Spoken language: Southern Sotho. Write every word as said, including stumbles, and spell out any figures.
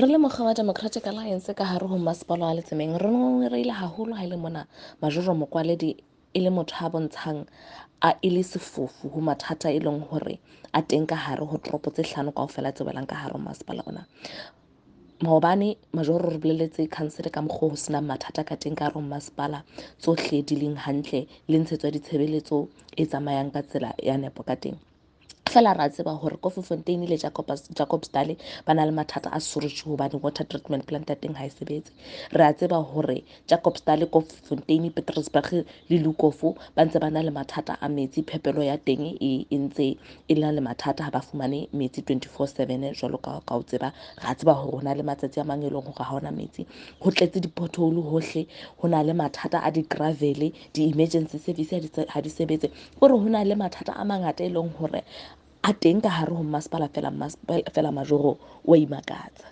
Re le mokga wa Democratic Alliance ka hare ho masepala wa Letsemeng, re ngongoreile haholo ha e le mona Majoro Mokwaledi e le motho a bontshang a e le sefofu ho mathata e leng hore a teng ka hare ho toropo tse hlano kaofela tse welang ka hare ho masepala ona. Maobane Majoro re bolelletse council ka mokgwa ho senang mathata ka teng ka hare ho masepala, tsohle di leng hantle le ntshetso ya ditshebeletso e tsamayang ka tsela ya nepo ka teng. Feela ra tseba hore Koffiefontein le Jacobsdal ba na le mathata a sewerage hobane water treatment plant ya teng ha e sebetse. Re a tseba hore Jacobsdal, Koffiefontein, Petrusburg le Lukof ba ntse ba na le mathata a metsi, phepelo ya teng e ntse e na le mathata, ha ba fumane metsi twenty-four seven jwalo ka ka o tseba. Ra tseba hore ho na le matsatsi a mang e leng hore ha hona metsi, ho tletse di-pothole hohle, ho na le mathata a di-gravel, di-emergency service ha di sebetse. Hore ho na le mathata a mangata e leng hore a teng ka hare ho masepala, fela fela Majoro wa imakatsa.